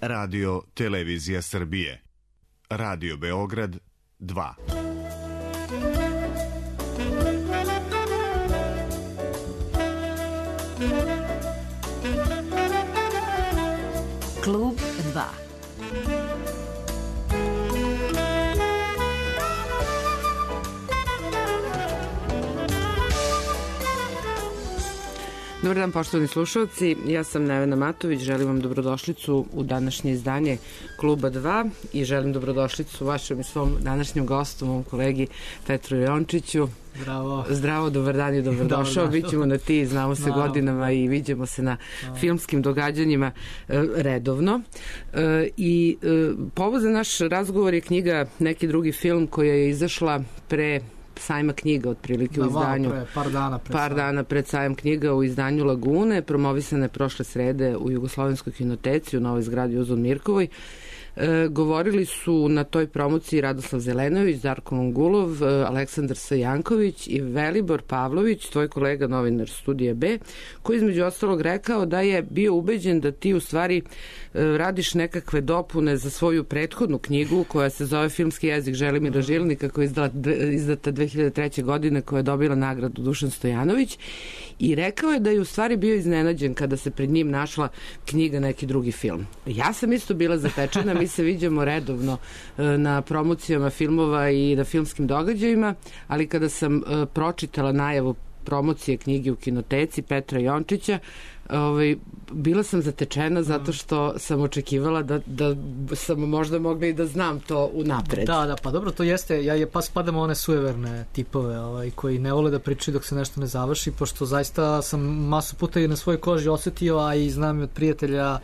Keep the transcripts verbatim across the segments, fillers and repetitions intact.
Radio Televizija Srbije. Radio Beograd dva. Klub dva. Dobar dan, poštovani slušalci, ja sam Nevena Matović, želim vam dobrodošlicu u današnje izdanje Kluba dva i želim dobrodošlicu vašem i svom današnjem gostu, mom kolegi Petru Jončiću. Zdravo. Zdravo, dobar dan i dobrodošao. Bićemo na ti, znamo se Naravno. godinama i vidimo se na Naravno. filmskim događanjima e, redovno. E, I e, povod za naš razgovor je knjiga Neki drugi film koja je izašla pre sajma knjiga, otprilike da, u izdanju. Pre, par dana pred par dana pred sajam knjiga u izdanju Lagune, promovisane prošle srede u Jugoslovenskoj kinoteci u novoj zgradi Uzun Mirkovoj. E, govorili su na toj promociji Radoslav Zelenović, Darko Mongulov, e, Aleksandar Sajanković i Velibor Pavlović, tvoj kolega novinar Studija B, koji između ostalog rekao da je bio ubeđen da ti u stvari e, radiš nekakve dopune za svoju prethodnu knjigu koja se zove Filmski jezik Želimira Žilnika, koja je izdala, izdata dve hiljade treće. godine, koja je dobila nagradu Dušan Stojanović, i rekao je da je u stvari bio iznenađen kada se pred njim našla knjiga Neki drugi film. Ja sam isto bila zatečena, mi se viđamo redovno na promocijama filmova i na filmskim događajima, ali kada sam pročitala najavu promocije knjige u kinoteci Petra Jončića, ovaj, bila sam zatečena zato što sam očekivala da, da sam možda mogla i da znam to unapred. Da, da, pa dobro, to jeste, ja je pa spadamo one sujeverne tipove ovaj, koji ne vole da pričaju dok se nešto ne završi, pošto zaista sam masu puta i na svojoj koži osetio, a i znam i od prijatelja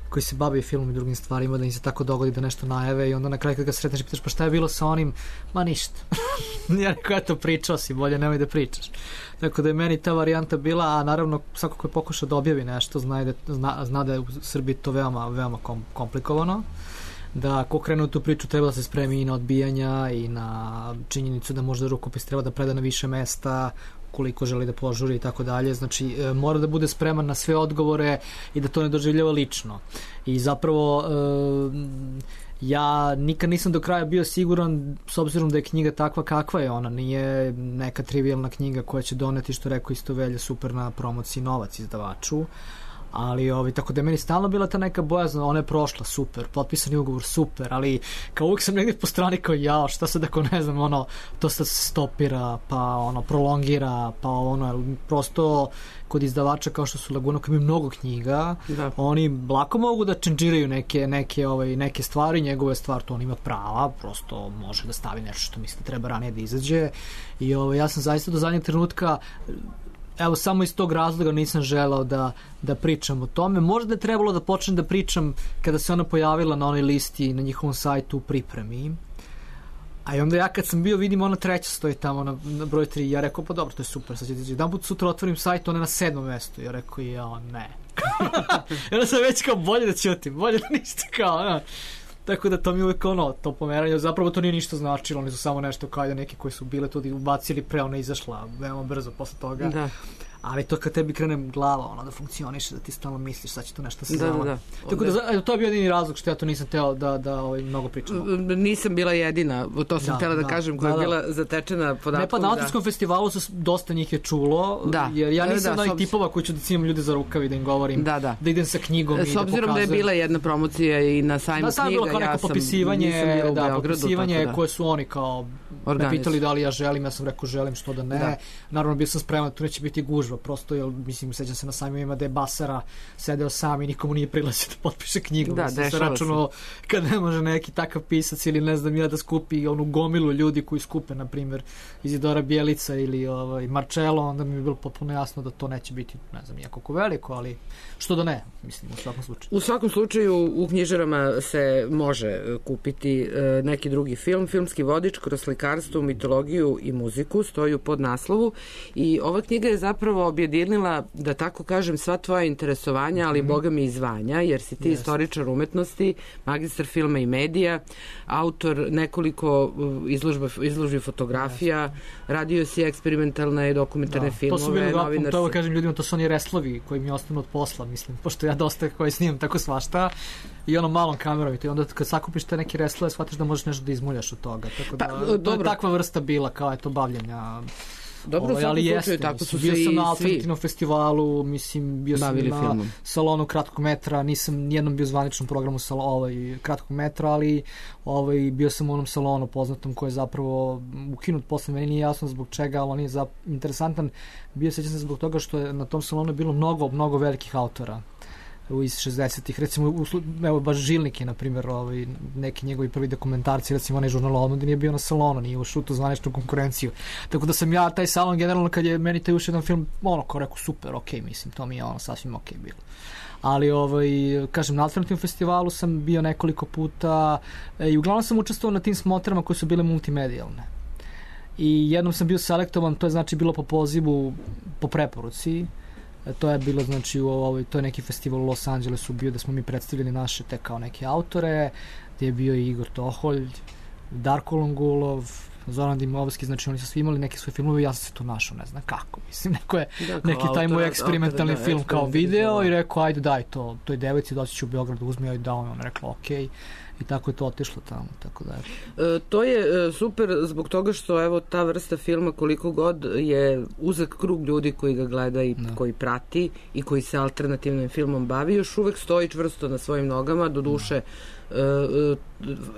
koji se bave filmom i drugim stvarima, da im se tako dogodi da nešto najave i onda na kraju kad ga sretneš i pitaš pa šta je bilo sa onim, ma ništa. Ja rekao, eto, pričao si, bolje nemoj da pričaš. Tako da je meni ta varijanta bila, a naravno svako ko je pokušao da objavi nešto zna da, zna, zna da je u Srbiji to veoma, veoma kom, komplikovano, da ko krenu tu priču treba da se spremi i na odbijanja i na činjenicu da možda rukopis treba da preda na više mesta koliko želi da požuri i tako dalje, znači e, mora da bude spreman na sve odgovore i da to ne doživljava lično. I zapravo e, ja nikad nisam do kraja bio siguran, s obzirom da je knjiga takva kakva je, ona nije neka trivijalna knjiga koja će doneti, što rekao isto Velja, super na promociji novac izdavaču, ali ovaj, tako da je meni stalno bila ta neka bojazna, ona je prošla, super, potpisani ugovor, super, ali kao uvijek sam negdje po strani kao jao, šta sad ako ne znam, ono, to sad se stopira, pa ono, prolongira, pa ono, prosto kod izdavača kao što su Laguna, koji imaju mnogo knjiga, da. Oni lako mogu da čenđiraju neke, neke, ovaj, neke stvari, njegove stvar, to on ima prava, prosto može da stavi nešto što misli da treba ranije da izađe i ovaj, ja sam zaista do zadnjeg trenutka, evo, samo iz tog razloga nisam želao da, da pričam o tome. Možda je trebalo da počnem da pričam kada se ona pojavila na onoj listi na njihovom sajtu u pripremi. A i onda ja kad sam bio, vidim, ona treća stoji tamo na, na broj tri. Ja rekao, pa dobro, to je super. Sad će tići. Jedan put sutra otvorim sajt, ona je na sedmom mestu. Ja rekao, ja, ne. I onda sam već kao, bolje da ćutim, bolje da ništa kao, ne. Tako da to mi uvijek ono, to pomeranje, zapravo to nije ništa značilo, oni su samo nešto kao da neki koji su bile tu ubacili pre, ona izašla veoma brzo posle toga. Da. Ali to kad tebi krene glava, ono, da funkcioniše, da ti stalno misliš, sad će to nešto se da, zama. Da, da. Tako da, to je bio jedini razlog što ja to nisam teo da, da ovaj, mnogo pričam. Nisam bila jedina, to sam da, htjela da, da kažem, koja da, je bila zatečena podatkom. Ne, pa na Autorskom da. festivalu su, dosta njih je čulo, da. jer ja nisam da, da, ovih tipova koji ću da cimam ljude za rukavi, da im govorim, da, da. da idem sa knjigom i da pokazujem. S obzirom da je bila jedna promocija i na sajmu da, knjiga, bilo kao neko ja sam, popisivanje, nisam bila u da, Beogradu. Popisivanje da. koje su oni kao me pitali da li ja želim, ja sam rekao želim, što da ne. Da. Naravno, bio sam spreman, tu neće biti gužva, prosto je, mislim, sećam se na sajmovima da je Basara sedeo sam i nikomu nije prilazio da potpiše knjigu. Da, mislim, se računalo kad ne može neki takav pisac ili ne znam ja da skupi onu gomilu ljudi koji skupe, na primjer, Izidora Bjelica ili ovaj, Marcello, onda mi je bilo potpuno jasno da to neće biti, ne znam, jako veliko, ali što da ne, mislim, u svakom slučaju. U svakom slučaju u knjižarama se može kupiti e, neki drugi film, filmski vodič kroz slikarstvo, mitologiju i muziku, stoji u podnaslovu i ova knjiga je zapravo objedinila, da tako kažem, sva tvoja interesovanja, ali mm-hmm. boga mi i zvanja, jer si ti yes. istoričar umetnosti, magistar filma i medija, autor nekoliko izložba, izložbi fotografija, yes. radio si eksperimentalne i dokumentarne da, filmove. To su bili dva, to kažem ljudima, to su oni reslovi koji mi ostanu od posla, mislim, pošto ja dosta koji snimam tako svašta, i ono malom kamerom i onda kad sakupiš te neke reslove shvatiš da možeš nešto da izmuljaš od toga. Tako da, pa, to je takva vrsta bila kao eto bavljenja. Dobro, ovaj, ali jeste, tako su bio se sam i na alternativnom festivalu, mislim, bio sam na filmom. salonu kratkog metra, nisam nijednom bio u zvaničnom programu salo, ovaj, kratkog metra, ali ovaj, bio sam u onom salonu poznatom koji je zapravo ukinut posle, meni nije jasno zbog čega, ali on je za, interesantan, bio sećam se zbog toga što je na tom salonu bilo mnogo, mnogo velikih autora iz šezdesetih, recimo u, evo baš Žilnik je na primjer ovaj, neki njegovi prvi dokumentarci, recimo onaj žurnal Omladina nije bio na salonu, nije ušao u zvaničnu konkurenciju, tako da sam ja taj salon generalno kad je meni taj ušao jedan film ono kao rekao super, ok, mislim to mi je ono sasvim ok bilo, ali ovaj, kažem na alternativnom festivalu sam bio nekoliko puta i uglavnom sam učestvovao na tim smotrama koje su bile multimedijalne i jednom sam bio selektovan, to je znači bilo po pozivu, po preporuci. To je bilo, znači, u ovoj, to je neki festival u Los Angelesu bio da smo mi predstavili naše te kao neke autore, gdje je bio i Igor Toholj, Darko Longulov, Zoran Dimovski, znači oni su svi imali neke svoje filmove i ja sam se to našao, ne znam kako, mislim, neko je da, neki taj moj eksperimentalni film da, kao video i rekao, ajde daj to, toj devojci doći ću u Beograd da uzme, ajde da, on je rekla, okej. I tako je to otišlo tamo, tako da. E, to je e, super zbog toga što evo ta vrsta filma koliko god je uzak krug ljudi koji ga gleda i da. Koji prati i koji se alternativnim filmom bavi, još uvek stoji čvrsto na svojim nogama, do duše e, e,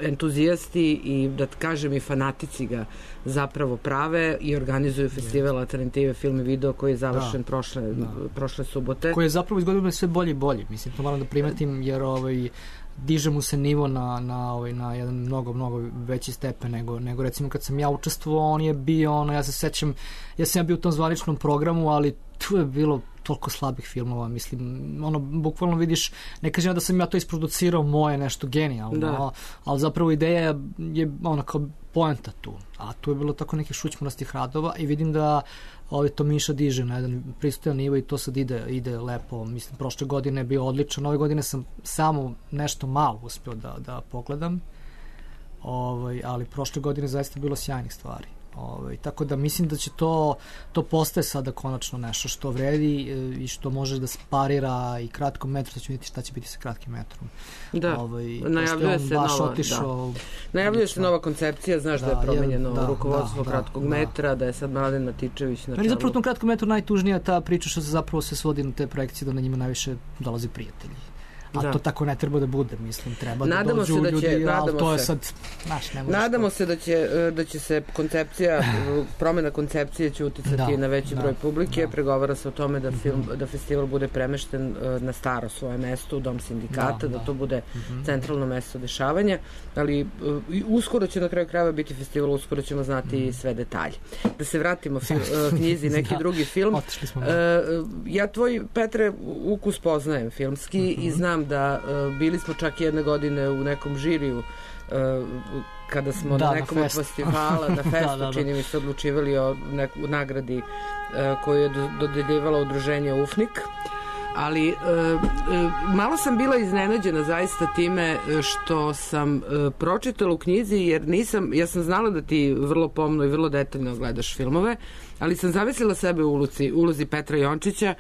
entuzijasti i da kažem i fanatici ga zapravo prave i organizuju festival alternative film i video koji je završen da. Prošle, da. prošle subote. Koji je zapravo iz godine sve bolji i bolji, mislim, to moram da primetim jer ovaj diže mu se nivo na, na, ovaj, na jedan mnogo, mnogo veći stepen nego, nego recimo kad sam ja učestvovao, on je bio, ono, ja se sećam, ja sam ja bio u tom zvaničnom programu, ali tu je bilo toliko slabih filmova, mislim, ono, bukvalno vidiš, ne kažem ja da sam ja to isproducirao moje nešto genijalno, da. Ali zapravo ideja je, ono, kao poenta tu, a tu je bilo tako nekih šućmorastih radova i vidim da ovaj to Miša diže na jedan pristojan nivo i to sad ide, ide lepo. Mislim, prošle godine je bio odličan, ove godine sam samo nešto malo uspio da, da pogledam, ovaj, ali prošle godine zaista bilo sjajnih stvari. Ovaj, tako da mislim da će to, to postaje sada konačno nešto što vredi i što može da sparira i kratkom metru, sad ću vidjeti šta će biti sa kratkim metrom. Da, ovaj, najavljuje se nova, otišao, da. Najavljuje se nova koncepcija, znaš da, da je promenjeno da, rukovodstvo da, kratkog da, metra, da. da je sad Mladen Matičević na čelu. Zapravo u tom kratkom metru najtužnija ta priča što se zapravo se svodi na te projekcije da na njima najviše dolaze prijatelji. A da. To tako ne treba da bude, mislim, treba nadamo da dođu da ljudi, će, ali to je sad, znaš, ne možeš. Nadamo se da će, da će se koncepcija, promjena koncepcije će uticati da, na veći da, broj publike, da. Pregovara se o tome da, film, mm-hmm. da festival bude premešten na staro svoje mesto u Dom sindikata, da, da, da to bude mm-hmm. centralno mesto dešavanja, ali uskoro će na kraju krajeva biti festival, uskoro ćemo znati mm-hmm. sve detalje. Da se vratimo fil, knjizi, neki da. Drugi film. Smo, da. Ja tvoj, Petre, ukus poznajem filmski mm-hmm. i znam da uh, bili smo čak jedne godine u nekom žiriju uh, kada smo da, na nekom na od festivala na festu, da, da, da. Čini mi se odlučivali o neku nagradi uh, koju je dodeljivalo udruženje Ufnik, ali uh, uh, malo sam bila iznenađena zaista time što sam uh, pročitala u knjizi, jer nisam, ja sam znala da ti vrlo pomno i vrlo detaljno gledaš filmove, ali sam zamislila sebe u ulozi, ulozi Petra Jončića,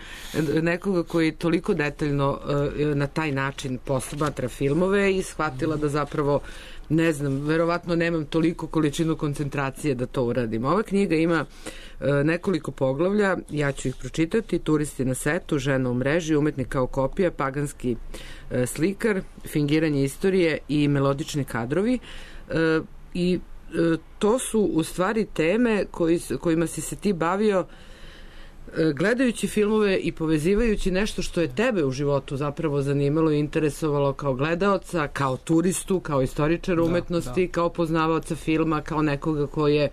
nekoga koji toliko detaljno uh, na taj način posmatra filmove i shvatila da zapravo ne znam, verovatno nemam toliko količinu koncentracije da to uradim. Ova knjiga ima e, nekoliko poglavlja, ja ću ih pročitati: Turisti na setu, Žena u mreži, Umetnik kao kopija, Paganski e, slikar, Fingiranje istorije i Melodični kadrovi. E, I e, to su u stvari teme koji, kojima si se ti bavio gledajući filmove i povezivajući nešto što je tebe u životu zapravo zanimalo i interesovalo kao gledaoca, kao turistu, kao istoričara umetnosti, da, da. Kao poznavaoca filma, kao nekoga koji je,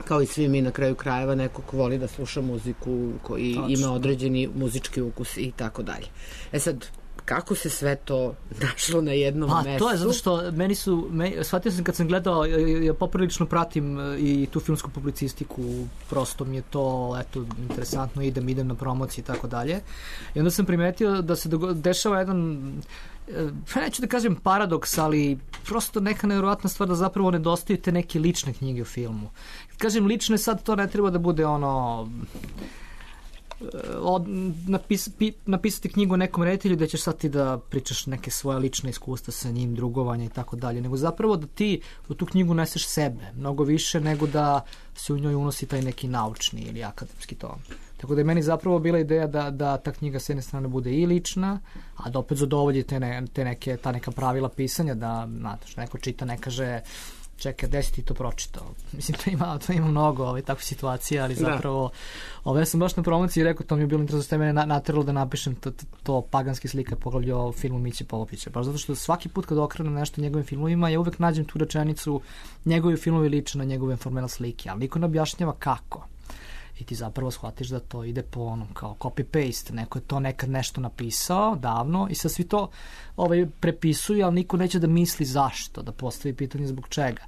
kao i svi mi na kraju krajeva, neko ko voli da sluša muziku, koji Tačno. Ima određeni muzički ukus i tako dalje. E sad, kako se sve to našlo na jednom pa, mestu? To je zato što meni su, meni, shvatio sam kad sam gledao, ja poprilično pratim i tu filmsku publicistiku, prosto mi je to, eto, interesantno, idem, idem na promociji i tako dalje. I onda sam primetio da se dešava jedan, neću da kažem paradoks, ali prosto neka nevjerovatna stvar da zapravo nedostaju te neke lične knjige u filmu. Kad kažem lične, sad to ne treba da bude ono od, napis, pi, napisati knjigu o nekom reditelju da ćeš sad ti da pričaš neke svoje lične iskustva sa njim, drugovanja i tako dalje, nego zapravo da ti u tu knjigu neseš sebe, mnogo više nego da se u njoj unosi taj neki naučni ili akademski ton. Tako da je meni zapravo bila ideja da, da ta knjiga s jedne strane bude i lična, a da opet zadovolji te, ne, te neke, ta neka pravila pisanja, da znate, neko čita, ne kaže čekaj, gde si ti to pročitao? Mislim, to ima, to ima mnogo ovaj, takve situacije, ali zapravo ovaj, ja sam baš na promociji rekao, to mi je bilo interesantno što je mene nateralo da napišem to, to, to paganski slika poglavlje o filmu Miće Popovića. Baš zato što svaki put kad okrenem nešto njegovim filmovima, ja uvek nađem tu rečenicu njegovi filmovi liče na njegove formela slike, ali niko ne objašnjava kako. I ti zapravo shvatiš da to ide po onom kao copy-paste, neko je to nekad nešto napisao davno i sad svi to ovaj, prepisuju, ali niko neće da misli zašto, da postavi pitanje zbog čega.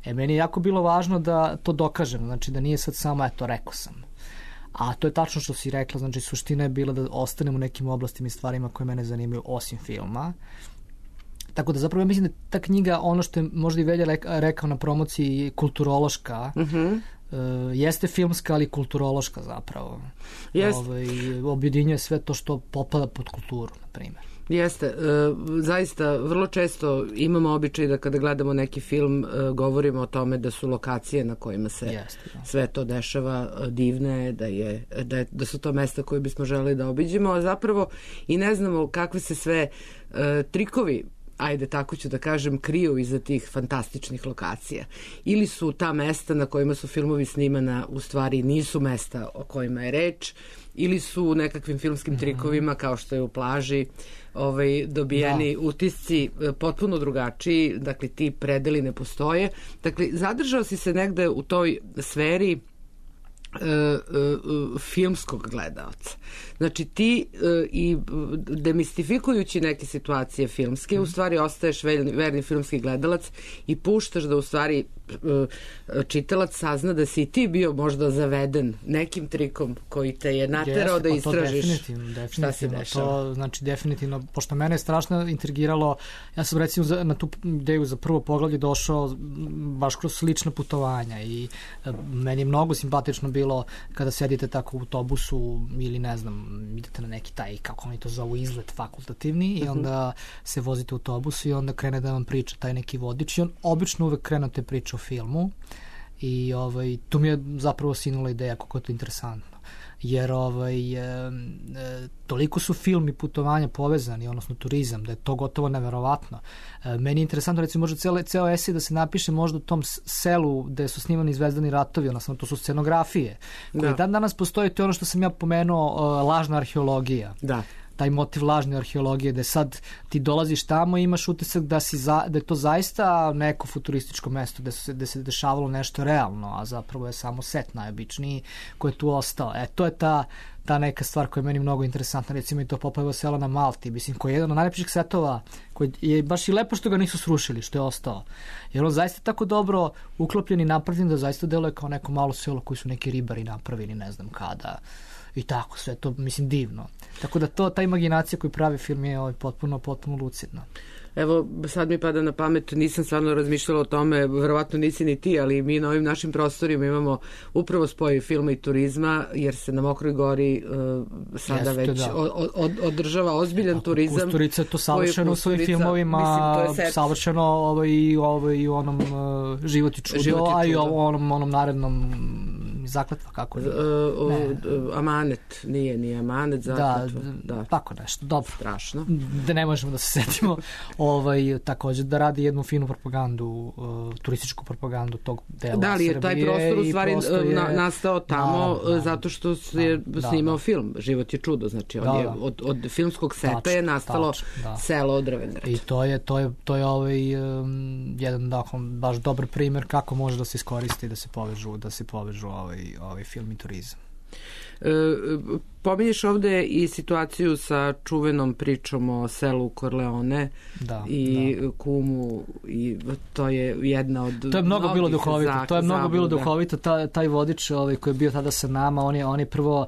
E, meni je jako bilo važno da to dokažem, znači da nije sad samo, eto, rekao sam. A to je tačno što si rekla, znači suština je bila da ostanem u nekim oblastima i stvarima koje mene zanimaju osim filma. Tako da zapravo ja mislim da ta knjiga, ono što je možda i Velja rekao na promociji, kulturološka, mm-hmm. Uh, jeste filmska, ali kulturološka zapravo. Jeste. Ovaj, objedinjuje sve to što potpada pod kulturu, na primjer. Jeste. E, zaista, vrlo često imamo običaj da kada gledamo neki film e, govorimo o tome da su lokacije na kojima se Jeste, da. sve to dešava divne, da, je, da, je, da su to mesta koje bismo želeli da obiđemo, a zapravo i ne znamo kakve se sve e, trikovi, ajde tako ću da kažem, kriju iza tih fantastičnih lokacija. Ili su ta mesta na kojima su filmovi snimana u stvari nisu mesta o kojima je reč, ili su nekakvim filmskim trikovima kao što je u Plaži ovaj, dobijeni da. utisci potpuno drugačiji, dakle ti predeli ne postoje. Dakle, zadržao si se negde u toj sferi Uh, uh, filmskog gledaoca. Znači ti uh, i demistifikujući neke situacije filmske, mm. u stvari ostaješ verni, verni filmski gledalac i puštaš da u stvari uh, čitalac sazna da si ti bio možda zaveden nekim trikom koji te je naterao Jeste, da istražiš definitivno, definitivno, šta se dešava. To, znači definitivno, pošto mene je strašno intrigiralo, ja sam recimo za, na tu ideju za prvo poglavlje došao baš kroz slična putovanja i uh, meni je mnogo simpatično bilo kada sedite tako u autobusu ili ne znam, idete na neki taj, kako oni to zovu, izlet fakultativni i onda se vozite u autobusu i onda krene da vam priča taj neki vodič i on obično uvek krene te priča o filmu i ovaj, tu mi je zapravo sinula ideja kako je to interesantno. Jer ovaj, e, e, toliko su film i putovanja povezani, odnosno turizam, da je to gotovo neverovatno. E, meni je interesantno, recimo, možda ceo, ceo esej da se napiše možda u tom selu gde su snimani Zvezdani ratovi, odnosno to su scenografije, koje da. dan danas postoje, to je ono što sam ja pomenuo, o, lažna arheologija. Da. Taj motiv lažne arheologije, da sad ti dolaziš tamo i imaš utisak da, si za, da je to zaista neko futurističko mesto gde se, gde se dešavalo nešto realno, a zapravo je samo set najobičniji koji je tu ostao. E, to je ta, ta neka stvar koja je meni mnogo interesantna, recimo i to Popojevo selo na Malti, mislim, koji je jedan od najlepših setova, koji je baš i lepo što ga nisu srušili, što je ostao. Jer on zaista tako dobro uklopljen i napravljen da zaista deluje kao neko malo selo koji su neki ribari napravili, ne znam kada. I tako, sve to, mislim, divno. Tako da to, ta imaginacija koju pravi film je ovaj, potpuno, potpuno lucidna. Evo, sad mi pada na pamet, nisam stvarno razmišljala o tome, verovatno nisi ni ti, ali mi na ovim našim prostorima imamo upravo spoj filma i turizma, jer se na Mokroj Gori uh, sada Jeste, već da. od, od, održava ozbiljan Tako, turizam. Kusturica je to savršeno u svojim filmovima, mislim, savršeno ovaj, i ovaj, u onom uh, Život i čudo, Život i čudo. A i u onom, onom narednom Zakletva, kako je? Uh, uh, amanet, nije, nije Amanet, Zakletva. Da, da, tako nešto, dobro. Strašno. Da ne možemo da se setimo. Ovaj, također da radi jednu finu propagandu, uh, turističku propagandu tog dela Srbije. Da li je taj prostor u stvari je, na, nastao tamo da, da, zato što se je da, snimao da, film Život je čudo, znači da, on je, od, od filmskog seta tač, je nastalo tač, da. selo od Drvendrača. I to je, to je, to je ovaj, um, jedan dakle, baš dobar primjer kako može da se iskoristi da se povežu, da se povežu ovaj, ovaj film i turizam. E, pominješ ovde i situaciju sa čuvenom pričom o selu Corleone da, i da. Kumu i to je jedna od to je mnogo bilo duhovito, to je mnogo bilo duhovito, taj, taj vodič ovaj, koji je bio tada sa nama, on je, on je prvo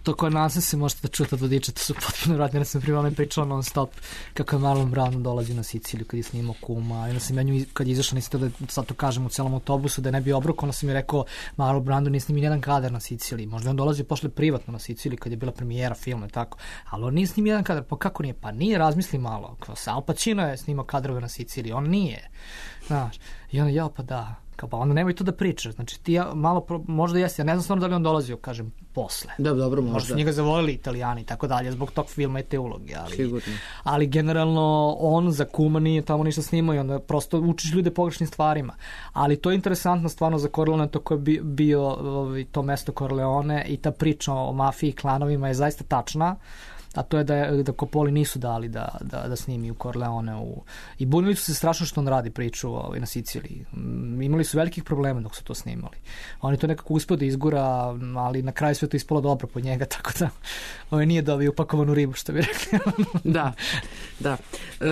to koje nonsense možete da čujete od vodiča, to su potpuno vratni. Ja sam prije onaj pričao non stop kako je Marlon Brando dolazi na Siciliju kad je snimao Kuma. I onda sam ja nju, kad je izašao, nisi to da sad to kažem u celom autobusu, da je ne bi obrukao, onda sam mi rekao Marlon Brando nije snimio jedan kadar na Siciliji. Možda on dolazi pošle privatno na Siciliju kad je bila premijera filma i tako. Ali on nije snimio jedan kadar. Pa kako nije? Pa nije, razmisli malo. Al Pacino je snimao kadrove na Siciliji. On nije. Znaš. I onda ja, pa da. Kao, pa onda nemoj to da pričaš. Znači ti ja malo, pro, možda jesi, ja ne znam stvarno da li on dolazio, kažem, posle. Da, dobro, možda. Možda su njega zavolili Italijani i tako dalje, zbog tog filma i te uloge. Ali, sigurno. Ali generalno on za Kuma nije tamo ništa snimao i onda prosto učiš ljude pogrešnim stvarima. Ali to je interesantno stvarno za Corleone, to koje je bio ovaj, to mesto Corleone i ta priča o mafiji i klanovima je zaista tačna. A to je da, da Coppoli nisu dali da, da, da snimi u Corleone u... i bunili su se strašno što on radi priču ovaj, na Siciliji. Imali su velikih problema dok su to snimali. On je to nekako uspio da izgura, ali na kraju sve to ispalo dobro po njega, tako da ovaj, nije dobio upakovanu ribu, što bi rekli. Da, da. E,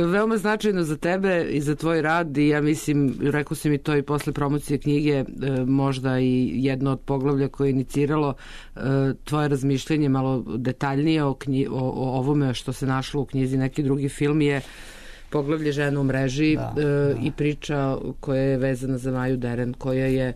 veoma značajno za tebe i za tvoj rad i ja mislim, rekao si mi to i posle promocije knjige, e, možda i jedno od poglavlja koje je iniciralo e, tvoje razmišljanje malo detaljnije o knjigi, O, o ovome što se našlo u knjizi neki drugi film je poglavlje Žena u mreži, da, e, da. I priča koja je vezana za Maju Deren, koja je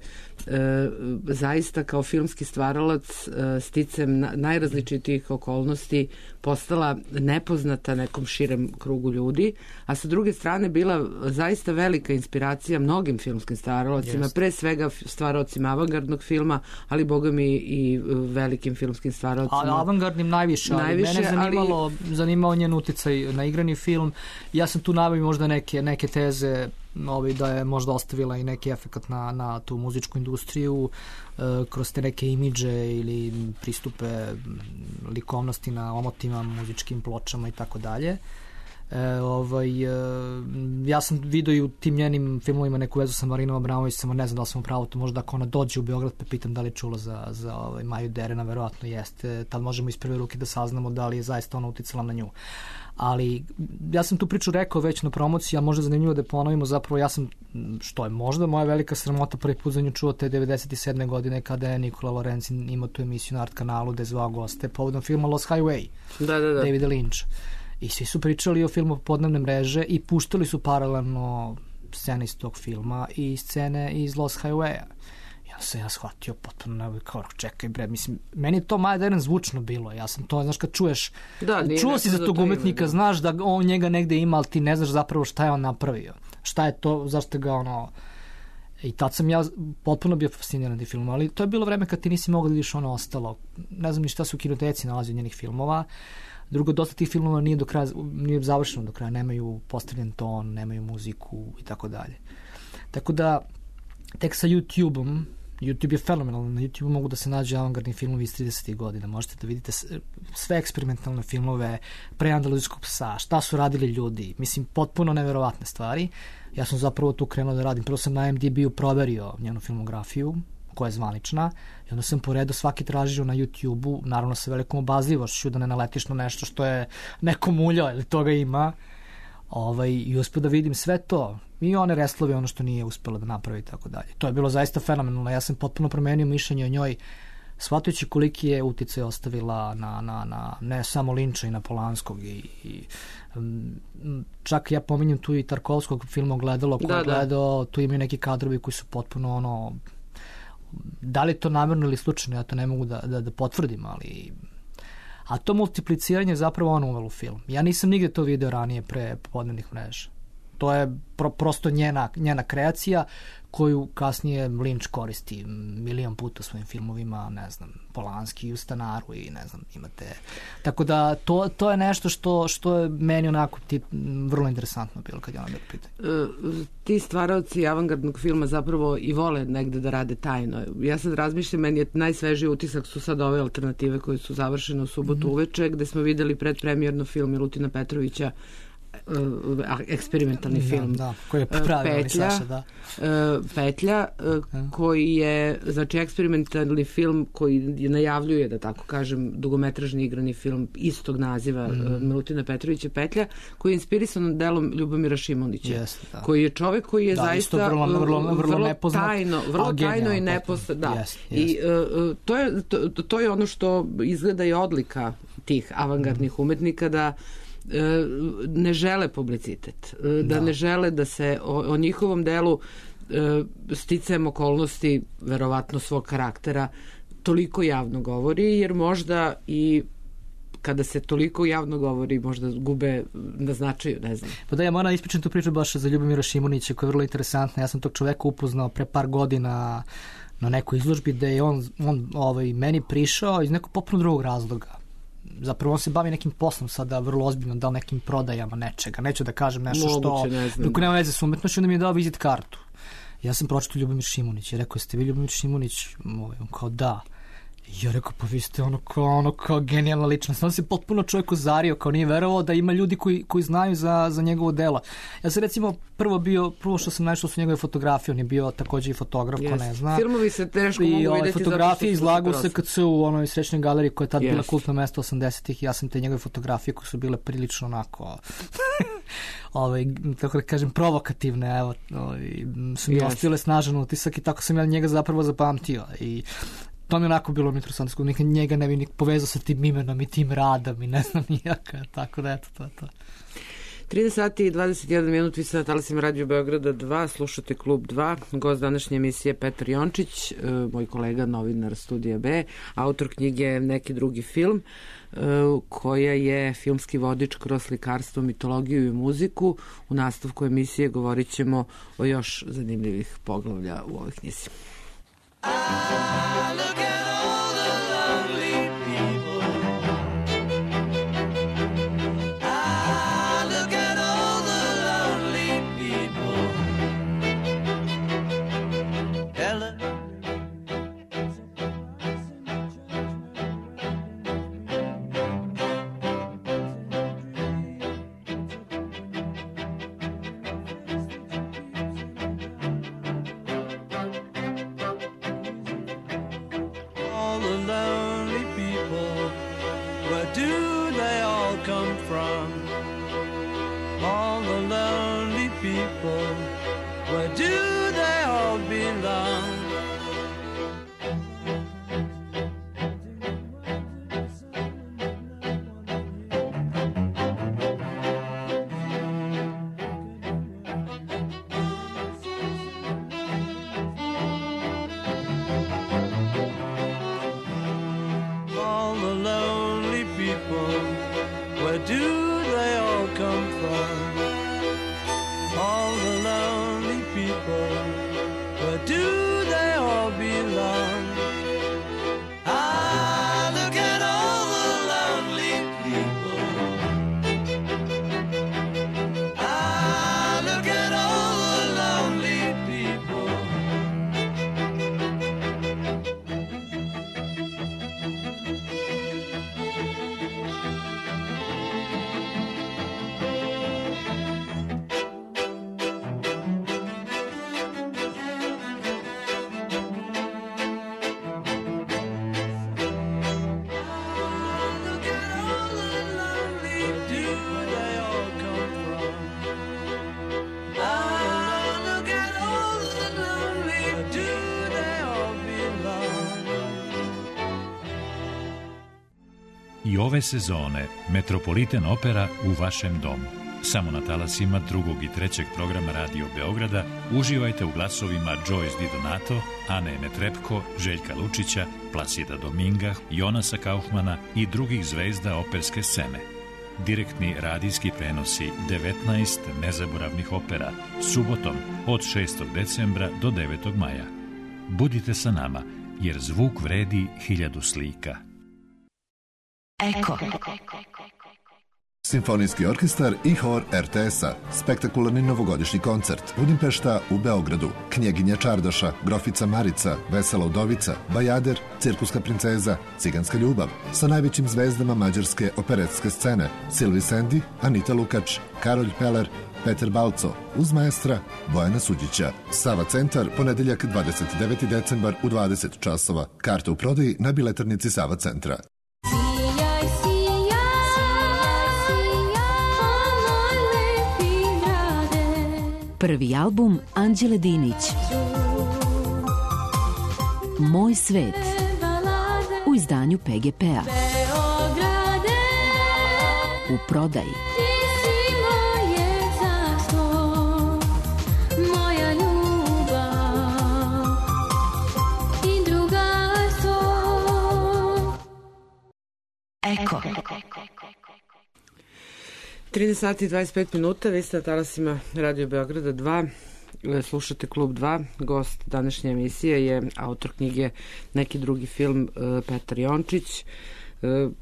e, zaista kao filmski stvaralac e, sticem na, najrazličitijih okolnosti postala nepoznata nekom širem krugu ljudi, a sa druge strane bila zaista velika inspiracija mnogim filmskim stvaralacima, pre svega stvaralcima avangardnog filma, ali boga mi i velikim filmskim stvaralacima. A avangardnim najviše, ali najviše, mene zanimalo, ali... zanimao njen uticaj na igrani film. Ja sam tu naveo možda neke, neke teze ovi, da je možda ostavila i neki efekat na, na tu muzičku industriju e, kroz te neke imidže ili pristupe likovnosti na omotima, muzičkim pločama i tako dalje. E, ovaj, e, ja sam vidio i u tim njenim filmovima neku vezu sa Marinom Abramović, samo ne znam da li sam u pravu, to možda ako ona dođe u Beograd pa pitam da li je čula za, za ovaj, Maju Derena, verovatno jeste, tad možemo iz prve ruke da saznamo da li je zaista ona uticala na nju. Ali ja sam tu priču rekao već na promociji, a možda zanimljivo da je ponovimo, zapravo ja sam, što je možda moja velika sramota, prvi put za nju čuo te devedeset sedme godine kada je Nikola Lorenzi imao tu emisiju na Art kanalu gde je zvao goste povodom filma Lost Highway, da, da, da. Davida Lynch. I svi su pričali o filmu Podnevne mreže i puštali su paralelno scene iz tog filma i scene iz Lost Highwaya. Ja sam ja shvatio potpuno, kao čekaj bre, mislim, meni to Maja Deren zvučno bilo, ja sam to, znaš, kad čuješ, da, čuo si za tog umetnika, ime, znaš da on njega negde ima, ali ti ne znaš zapravo šta je on napravio, šta je to, zašto ga ono, i tad sam ja potpuno bio fasciniran tim filmom, ali to je bilo vreme kad ti nisi mogao da vidiš ono ostalo, ne znam ni šta se u kinoteci nalazi od njenih filmova. Drugo, dosta tih filmova nije do kraja, nije završeno do kraja, nemaju postavljen ton, nemaju muziku i tako dalje. Tako da, tek sa YouTube-om, YouTube je fenomenalan, na YouTube mogu da se nađe avangardni filmovi iz tridesetih godina, možete da vidite sve eksperimentalne filmove pre Andaluzijskog psa, šta su radili ljudi, mislim, potpuno neverovatne stvari. Ja sam zapravo tu krenuo da radim, prvo sam na I M D B-u proverio njenu filmografiju, koja je zvanična, i onda sam poredo svaki tražio na YouTube-u, naravno sa velikom obazljivošću, da ne naletiš na nešto što je neko muljao ili toga ima, ovaj, i uspio da vidim sve to, i one reslove, ono što nije uspjela da napravi i tako dalje. To je bilo zaista fenomenalno, ja sam potpuno promenio mišljenje o njoj, shvatajući koliki je uticaj ostavila na, na, na ne samo Linča i na Polanskog i, i čak ja pominjem tu i Tarkovskog filma Ogledalo koji je gledao, tu imaju neki kadrovi koji su potpuno ono, da li je to namjerno ili slučajno, ja to ne mogu da, da, da potvrdim, ali a to multipliciranje je zapravo ono uvelo u film. Ja nisam nigde to video ranije pre Podnevnih mreža. To je pro, prosto njena, njena kreacija koju kasnije Lynch koristi milion puta u svojim filmovima, ne znam, Polanski u Stanaru i ne znam, imate. Tako da to, to je nešto što, što je meni onako ti, vrlo interesantno bilo kad je ona bilo pitanje. E, ti stvaraoci avangardnog filma zapravo i vole negde da rade tajno. Ja sad razmišljam, meni je najsvežiji utisak su sad ove alternative koje su završene u subotu mm-hmm. uveče, gde smo videli predpremjerno film Milutina Petrovića eksperimentalni da, film. Da, koji je pravilni Petlja, Saša, da. Petlja, koji je, znači, eksperimentalni film koji najavljuje, da tako kažem, dugometražni igrani film istog naziva mm. Milutina Petrovića Petlja, koji je inspirisan delom Ljubomira Šimunića, yes, da. koji je čovek koji je da, zaista vrlo, vrlo, vrlo, vrlo, vrlo nepoznat, tajno, vrlo tajno i nepoznat. Da. Yes, yes. I uh, to, je, to, to je ono što izgleda i odlika tih avangardnih mm. umetnika, da ne žele publicitet, da, da ne žele da se o, o njihovom delu sticajem okolnosti, verovatno svog karaktera, toliko javno govori, jer možda i kada se toliko javno govori, možda gube na značaju, ne znam. Pa da, ja moram ispričati tu priču baš za Ljubomira Šimunića, koja je vrlo interesantna. Ja sam tog čoveka upoznao pre par godina na nekoj izložbi, gde je on, on ovaj, meni prišao iz nekog potpuno drugog razloga. Zapravo on se bavi nekim poslom sada vrlo ozbiljno, dao nekim prodajama nečega. Neću da kažem nešto Moguće, što... Ne znam. Dok nema veze s umetnošću, onda mi je dao vizit kartu. Ja sam pročitao Ljubomir Šimunić i rekao, jeste vi Ljubomir Šimunić? On kao da. I ja rekao, pa vi ste ono kao, ono kao genijalna ličnost. On se potpuno čovjek uzario, kao nije verovao da ima ljudi koji, koji znaju za, za njegovo delo. Ja sam recimo prvo bio, prvo što sam našao su njegove fotografije, on je bio također i fotograf, yes. ko ne zna. Filmovi se teško mogu vidjeti. I ovaj, fotografije izlagao se kad se u onoj srećnoj galeriji koja je tad yes. bila kultno mesto osamdesetih. Ja sam te njegove fotografije koje su bile prilično onako... ovaj, tako da kažem, provokativne, evo, ovaj, su mi yes. ostile snažan utisak i tako sam ja njega zapravo zapamtio. I to mi je onako bilo interesantno, nikad njega ne bi ni povezao sa tim imenom i tim radom i ne znam nijaka, tako da eto, to je to. trinaest sati i dvadeset jedan minut, vi ste na talasima Radio Beograda dva, slušate Klub dva, gost današnje emisije Petar Jončić, moj kolega, novinar Studija B, autor knjige Neki drugi film, koja je filmski vodič kroz slikarstvo, mitologiju i muziku. U nastavku emisije govorit ćemo o još zanimljivih poglavlja u ovoj knjizi. I look at all the lonely people. I look at all the lonely people. Ella. Where do they all belong? All the lonely people, where do they all come from? All the lonely people, where do they all belong? I look at all the lonely people. I look at all the lonely people. I ove sezone Metropolitan Opera u vašem domu. Samo na talasima drugog i trećeg programa Radio Beograda uživajte u glasovima Joyce Di Donato, Ane Netrepko, Željka Lučića, Plasida Dominga, Jonasa Kaufmana i drugih zvezda operske scene. Direktni radijski prenosi devetnaest nezaboravnih opera subotom od šestog decembra do devetog maja. Budite sa nama, jer zvuk vredi hiljadu slika. Eko. Simfonijski orkestar i hor er te es-a. Spektakularni novogodišnji koncert. Budimpešta u Beogradu. Knjeginja Čardaša, Grofica Marica, Vesela udovica, Bajader, Cirkuska princeza, Ciganska ljubav. Sa najvećim zvezdama mađarske operetske scene. Silvi Sendi, Anita Lukač, Karolj Peler, Peter Balco, uz maestra Bojana Suđića. Sava centar, ponedeljak dvadeset deveti decembar u dvadeset časova. Karte u prodaji na biletarnici Sava centra. Prvi album Anđele Dinić. Moj svet. U izdanju pe ge pe-a. U prodaji. Eko. trinaest sati i dvadeset pet minuta, vi ste na talasima Radio Beograda dva, slušate Klub dva, gost današnje emisije je autor knjige Neki drugi film Petar Jončić.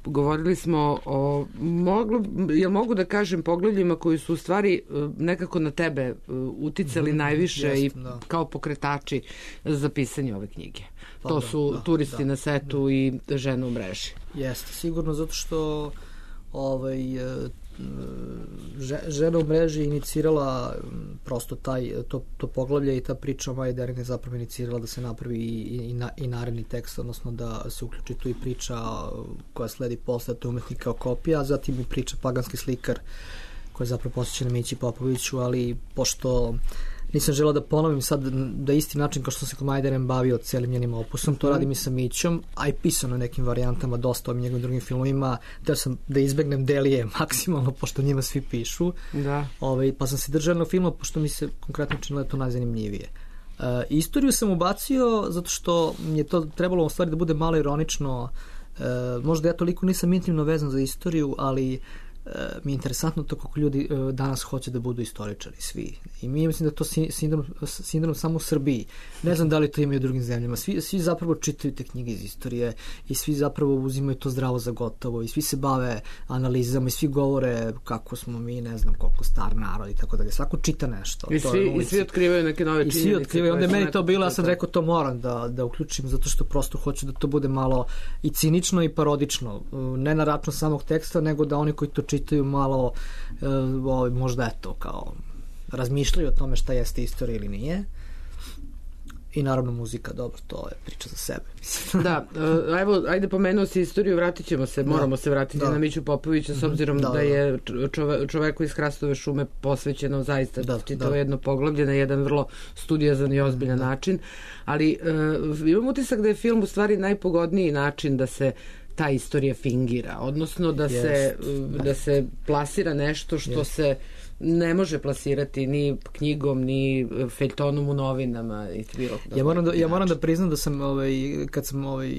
Govorili smo o, moglo, jel mogu da kažem, poglavljima koji su u stvari nekako na tebe uticali mm, najviše jest, i da. Kao pokretači za pisanje ove knjige. Pa to da, su da, Turisti da, na setu da. I Žena u mreži. Jeste, sigurno, zato što ovaj, Žena u mreži inicirala prosto taj, to, to poglavlje i ta priča o Maji Dering je zapravo inicirala da se napravi i, i, na, i naredni tekst, odnosno da se uključi tu i priča koja sledi posle, to je Umetnik kao kopija, a zatim i priča Paganski slikar koja je zapravo posvećena Mići Popoviću, ali pošto nisam želeo da ponovim sad da isti način kao što se kod Majderen bavio celim njenim opusom, to radim i sa Mićom, a i pisano nekim varijantama, dosta o njegovim drugim filmovima, da sam da izbegnem Delije maksimalno, pošto njima svi pišu. Da. Ovaj, pa sam se držao na filmu, pošto mi se konkretno činilo to najzanimljivije. Uh, istoriju sam ubacio zato što mi je to trebalo u stvari da bude malo ironično. Uh, možda ja toliko nisam intimno vezan za istoriju, ali mi je interesantno to kako ljudi danas hoće da budu istoričari, svi. I mi mislim da to sindrom, sindrom samo u Srbiji. Ne znam da li to imaju u drugim zemljama. Svi, svi zapravo čitaju te knjige iz istorije i svi zapravo uzimaju to zdravo za gotovo i svi se bave analizama i svi govore kako smo mi, ne znam koliko star narod i tako dalje. Svako čita nešto. I svi, i svi otkrivaju neke nove činjenice. I svi otkrivaju. Onda je meni to bilo, ja sam rekao to moram da, da uključim zato što prosto hoću da to bude malo i cinično i parodično. Ne na račun samog teksta, nego da oni koji to čitaju malo uh, možda eto kao razmišljaju o tome šta jeste istorija ili nije. I naravno muzika, dobro, to je priča za sebe. Da, uh, evo, ajde pomenuo si istoriju, vratit ćemo se, moramo da. se vratiti da. na Miću Popovića, s obzirom da, da, da je čove, čoveku iz Hrastove šume posvećeno zaista da, čitavo da. jedno poglavlje na jedan vrlo studiozan i ozbiljan da. način, ali uh, imam utisak da je film u stvari najpogodniji način da se ta istorija fingira, odnosno da, yes. se, da se plasira nešto što yes. se ne može plasirati ni knjigom, ni feljtonom u novinama i bilo. Ja moram da, ja moram da priznam da sam ovaj, kad sam ovaj,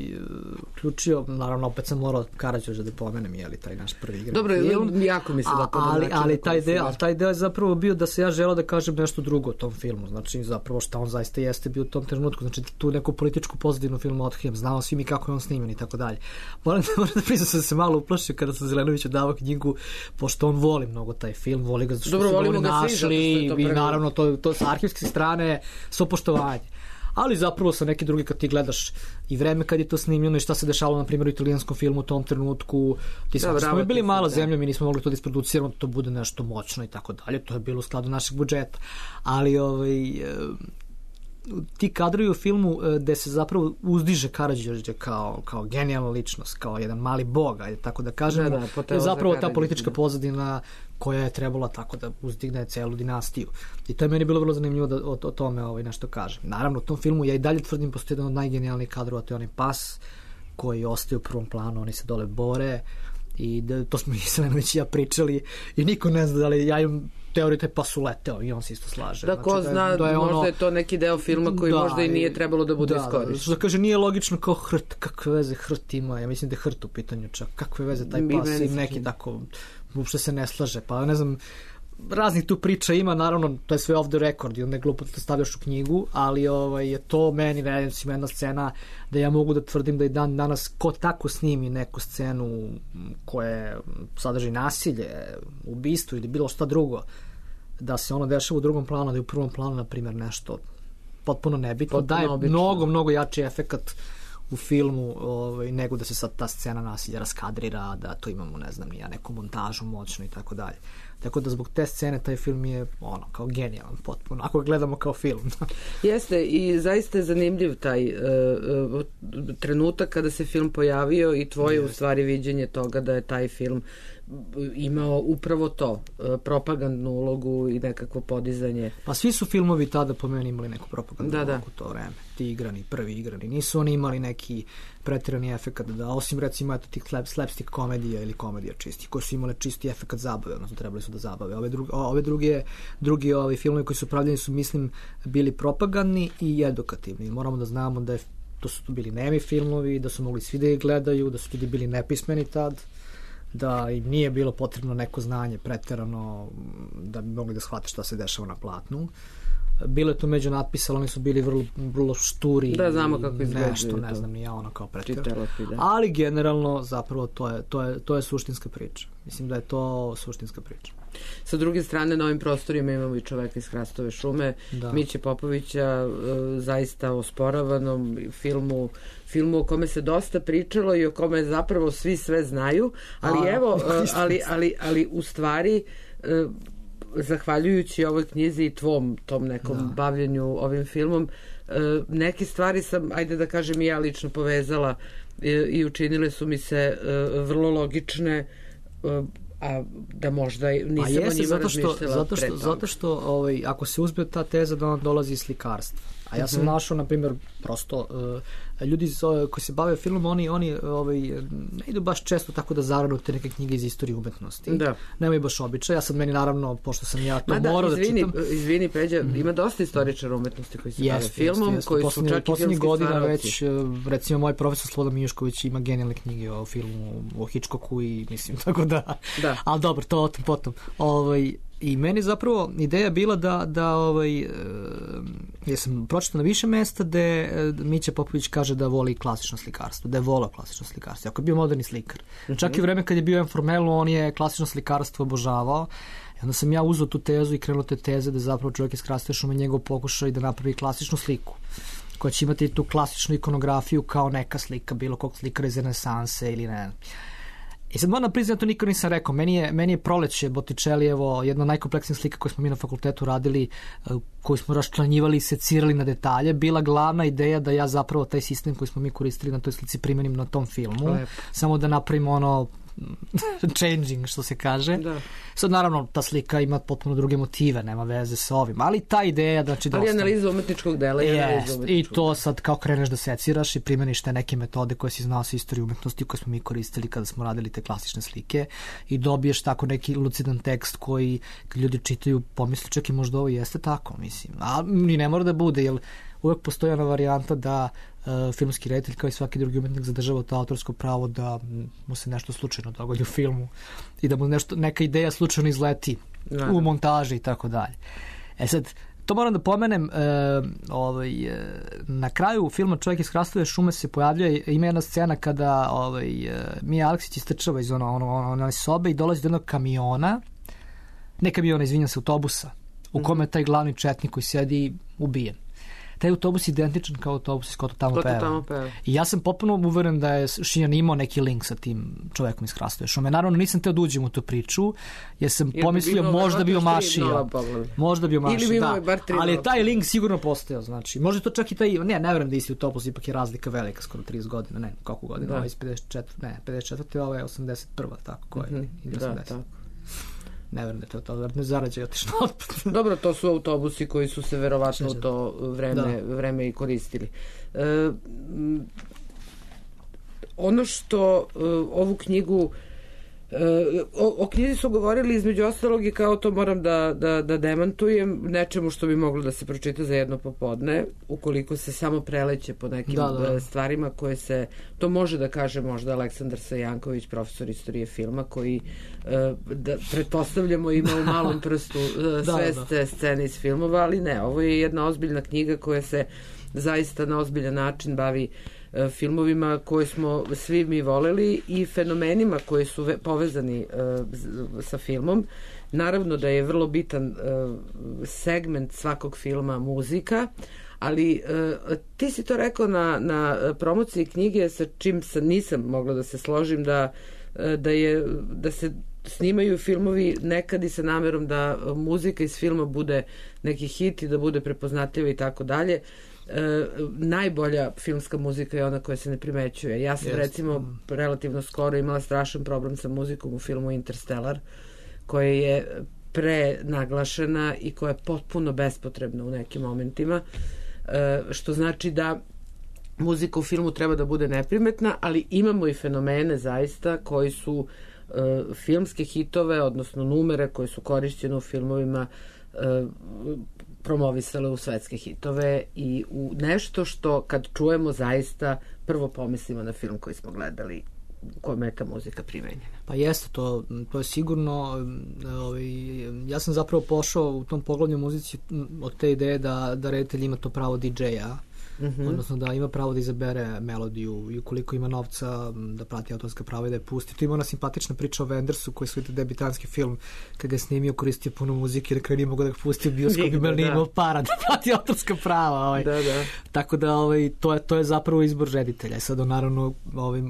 uključio, naravno opet sam morao Karađorđa da pomenem, je li taj naš prvi igra. Dobro, film, jako mi se da to ali, ali taj deo, taj deo je zapravo bio da se ja želeo da kažem nešto drugo o tom filmu, znači zapravo šta on zaista jeste bio u tom trenutku, znači tu neku političku pozadinu filmu otkrijem, znao svi mi kako je on snimen i tako dalje. Moram da, moram da priznam sam se malo uplašio kada sam Zelenoviću dao knjigu, pošto on voli mnogo taj film, voli ga Dobro, volimo ga našli svi, i naravno to, to sa arhivske strane svo poštovanje. Ali zapravo sa neki drugi kad ti gledaš i vreme kad je to snimljeno i šta se dešavalo na primjer u italijanskom filmu u tom trenutku, ti smo, smo bili mala zemlja, mi nismo mogli to da isproduciramo, to bude nešto moćno i tako dalje, to je bilo u skladu našeg budžeta. Ali ovaj ti kadrovi u filmu gde se zapravo uzdiže Karađorđe kao, kao genijalna ličnost, kao jedan mali bog, ajde tako da kažem, da, da, je zapravo ta politička pozadina koja je trebala tako da uzdigne celu dinastiju. I to je meni bilo vrlo zanimljivo da o, o tome ovaj, nešto kažem. Naravno, u tom filmu ja i dalje tvrdim postoji jedan od najgenijalnijih kadrova, to je onaj pas koji ostaje u prvom planu, oni se dole bore i da, to smo i Selenović i ja pričali i niko ne zna da li ja im teoriju taj pas uleteo i on se isto slaže. Da, ko znači, zna, da je, da je možda ono, je to neki deo filma koji da, možda i nije trebalo da bude da, iskorišten. Da, da kaže, nije logično kao hrt, kakve veze hrt ima, ja mislim da je hrt u pitanju čak, kakve veze taj pas i neki tako, uopšte se ne slaže, pa ne znam, raznih tu priča ima, naravno, to je sve off the record i onda je glupo da to stavljaš u knjigu, ali ovaj, je to meni, recimo, jedna scena da ja mogu da tvrdim da i dan danas ko tako snimi neku scenu koja sadrži nasilje, ubistvo ili bilo šta drugo, da se ono dešava u drugom planu, da je u prvom planu, na primjer, nešto potpuno nebitno, daje mnogo, mnogo jači efekat u filmu ovaj, nego da se sad ta scena nasilja raskadrira, da to imamo, ne znam, nija neku montažu moćnu i tako dalje. Tako da zbog te scene taj film je ono, kao genijalan potpuno, ako ga gledamo kao film. Jeste, i zaista je zanimljiv taj uh, trenutak kada se film pojavio i tvoje u stvari viđenje toga da je taj film imao upravo to, propagandnu ulogu i nekakvo podizanje. Pa svi su filmovi tada po meni imali neku propagandnu da, ulogu u to vreme. Ti igrani, prvi igrani. Nisu oni imali neki pretirani efekat, da osim recimo eto tih slapstick komedija ili komedija čisti, koji su imali čisti efekat zabave, odnosno trebali su da zabave. Ove druge, ove druge, drugi ovi filmovi koji su pravljeni su, mislim, bili propagandni i edukativni. Moramo da znamo da je, to su bili nemi filmovi, da su mogli svi da ih gledaju, da su ljudi bili nepismeni tad, da im nije bilo potrebno neko znanje preterano da bi mogli da shvate šta se dešava na platnu. Bilo je to među natpisa, ali oni su bili vrlo, vrlo šturi. Da, znamo kako izgledaju. Nešto, ne znam, ni ja ono kao preterano. Ali generalno, zapravo, to je, to, je, to je suštinska priča. Mislim da je to suštinska priča. Sa druge strane, na ovim prostorima imamo i čoveka iz Hrastove šume, da. Miće Popovića, zaista osporavanom filmu, filmu o kome se dosta pričalo i o kome zapravo svi sve znaju, ali A, evo, ali, ali, ali u stvari, zahvaljujući ovoj knjizi i tvom tom nekom da. bavljenju ovim filmom, neke stvari sam, ajde da kažem, i ja lično povezala i učinile su mi se vrlo logične, a da možda nisam jeste, o njima zato što, razmišljala zato što, zato što ovaj, ako se uzme ta teza da ona dolazi iz slikarstva, a ja sam mm-hmm. našao, na primjer, prosto uh, ljudi koji se bave filmom, oni, oni ovaj, ne idu baš često tako da zaradu te neke knjige iz istorije umetnosti. Da. Nemaju baš običaj. Ja sad meni, naravno, pošto sam ja to Ma morao da, izvini, da čitam... Izvini, Peđa, mm-hmm. ima dosta istoričara umetnosti koji se jest, bave filmom, jest, jest. koji poslednji, su čak i filmski godina stvaravci. Već, recimo, moj profesor Slobodan Mijušković ima genijalne knjige o filmu, o Hitchcocku i mislim, tako da... da. Ali dobro, to o tom potom. Ovaj, I meni zapravo ideja bila da, da ovaj, e, ja sam pročitao na više mesta da Mića Popović kaže da voli klasično slikarstvo, da je volao klasično slikarstvo, ako je bio moderni slikar. Mm-hmm. Čak i vreme kad je bio Informelu, on je klasično slikarstvo obožavao. I onda sam ja uzeo tu tezu i krenuo te teze da zapravo čovjek iz Hrastove šume njegov pokušao i da napravi klasičnu sliku, koja će imati tu klasičnu ikonografiju kao neka slika, bilo kog slikara iz renesanse ili ne. I sad moram priznati, to nikad nisam rekao, meni je, meni je Proleće Botticellijevo jedna od najkompleksnijih slika koje smo mi na fakultetu radili, koju smo raščlanjivali i secirali na detalje, bila glavna ideja da ja zapravo taj sistem koji smo mi koristili na toj slici primenim na tom filmu, Lep. samo da napravimo ono changing, što se kaže. Da. Sad, naravno, ta slika ima potpuno druge motive, nema veze sa ovim, ali ta ideja, znači... Ali analiza umetničkog dela i analiza umetničkog I to sad kao kreneš da seciraš i primeniš te neke metode koje si znao sa istorije umetnosti koje smo mi koristili kada smo radili te klasične slike i dobiješ tako neki lucidan tekst koji kad ljudi čitaju pomisli čak i možda ovo jeste tako, mislim. A ni ne mora da bude, jer uvek postoji ona varijanta da uh, filmski reditelj kao i svaki drugi umetnik zadržava to autorsko pravo da mu se nešto slučajno dogodi u filmu i da mu nešto, neka ideja slučajno izleti da. u montaži i tako dalje. E sad, to moram da pomenem, uh, ovaj, uh, na kraju filma Čovjek iz Hrastove šume se pojavljuje, ima jedna scena kada ovaj, uh, Mija Aleksić istrčava iz ono, ono, ono, ono sobe i dolazi do jednog kamiona, ne kamiona, izvinjam se, autobusa, u kome je taj glavni četnik koji sedi ubijen. Taj autobus je identičan kao autobus iz Ko to tamo peva. I ja sam potpuno uveren da je Šijan imao neki link sa tim čovekom iz Hrastove šume. Naravno, nisam teo da uđem u tu priču, jer sam jer pomislio bi možda bi omašio. Možda bi omašio, da. Ali je taj link sigurno postao, znači. Možda to čak i taj, ne, ne verujem da isti autobus, ipak je razlika velika, skoro trideset godina, ne, koliko godina, da. Ovo iz pedeset četvrte, ne, pedeset četvrte, ovo je osamdeset prva, tako, koja je, mm-hmm. da, tako. Ne verujem da je to, to ne zarađe otišno otpad. Dobro, to su autobusi koji su se verovatno u to vreme, vreme i koristili. E, ono što e, ovu knjigu O, o knjizi su govorili između ostalog i kao to moram da, da, da demantujem nečemu što bi moglo da se pročita za jedno popodne, ukoliko se samo preleće po nekim da, da. stvarima koje se, to može da kaže možda Aleksandar Sajanković, profesor istorije filma, koji da, pretpostavljamo ima u malom prstu sve da, te scene iz filmova, ali ne, ovo je jedna ozbiljna knjiga koja se zaista na ozbiljan način bavi filmovima koje smo svi mi voleli i fenomenima koji su povezani uh, sa filmom. Naravno da je vrlo bitan uh, segment svakog filma muzika, ali uh, ti si to rekao na, na promociji knjige sa čim sam, nisam mogla da se složim da, uh, da, je, da se snimaju filmovi nekad i sa namerom da muzika iz filma bude neki hit i da bude prepoznatljiva i tako dalje. E, najbolja filmska muzika je ona koja se ne primećuje. Ja sam yes. recimo relativno skoro imala strašan problem sa muzikom u filmu Interstellar, koja je prenaglašena i koja je potpuno bespotrebna u nekim momentima, e, što znači da muzika u filmu treba da bude neprimetna, ali imamo i fenomene zaista koji su e, filmske hitove, odnosno numere koje su korišćene u filmovima e, promovisale u svetske hitove i u nešto što kad čujemo zaista prvo pomislimo na film koji smo gledali u kojem je ta muzika primenjena. Pa jeste, to, to je sigurno. Ovaj, ja sam zapravo pošao u tom poglavlju muzici od te ideje da, da reditelj ima to pravo di džeja, mm-hmm. odnosno da ima pravo da izabere melodiju i ukoliko ima novca da prati autorska prava i da je pusti. Tu ima ona simpatična priča o Wendersu koji su debitanski film kad ga je snimio, koristio puno muzike, da nije mogo da ga pusti u bioskop i nije imao para da prati autorska prava. Ovaj. Da, da. Tako da ovaj, to, je, to je zapravo izbor reditelja. Sad naravno ovaj,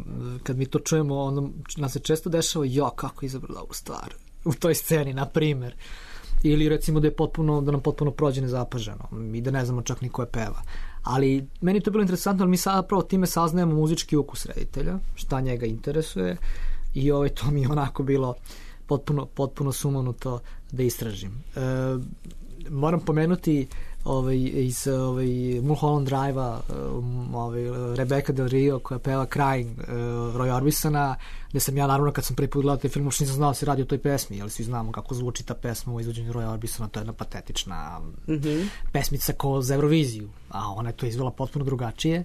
kad mi to čujemo onda nam se često dešava jo, kako je izabrala ovu stvar u toj sceni, na primer. Ili recimo da je potpuno, da nam potpuno prođe nezapaženo i da ne znamo čak ni ko je peva. Ali meni to je bilo interesantno, ali mi sad pravo time saznajemo muzički ukus reditelja, šta njega interesuje i ovaj, to mi je onako bilo potpuno, potpuno sumanuto da istražim. E, moram pomenuti ovaj, iz ovaj, Mulholland Drive-a ovaj, Rebecca Del Rio koja peva Crying uh, Roy Orbisona, gde sam ja naravno kad sam prvi put gledao taj film, uopšte nisam znao da se radi o toj pesmi, ali svi znamo kako zvuči ta pesma u izvođenju Roya Orbisona, to je jedna patetična mm-hmm. pesmica ko za Euroviziju, a ona je to izvela potpuno drugačije.